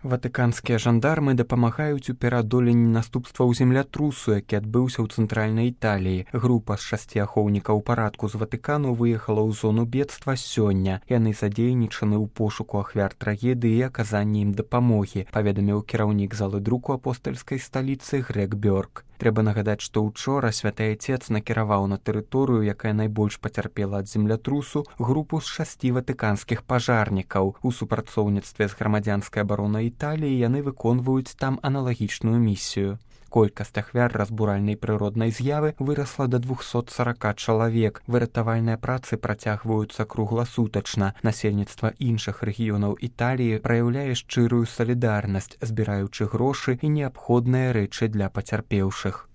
Ватыканскія жандармы дапамагаюць у пераадоленні наступстваў землятрусу, які адбыўся ў цэнтральнай Італіі. Група з 6 ахоўнікаў парадку з Ватыкану выехала ў зону бедства сёння. Яны задзейнічаны ў пошуку ахвяр трагедыі і аказанні ім дапамогі, паведаміў кіраўнік залы друку апостальскай сталіцы Грег Бёрк. Трэба нагадаць, што ўчора святы Айцец накіраваў на тэрыторыю, якая найбольш пацярпела ад землятрусу, групу з 6 ватыканскіх пажарнікаў. У супрацоўніцтве з грамадзянскай абаронай Італіі яны выконваюць там аналагічную місію. Колькасць ахвяр разбуральнай прыроднай з'явы вырасла да 240 чалавек. Выратавальныя працы працягваюцца кругласутачна. Насельніцтва іншых рэгіёнаў Італіі праяўляе шчырую салідарнасць, збіраючы грошы і неабходныя рэчы для пацярпеўшых.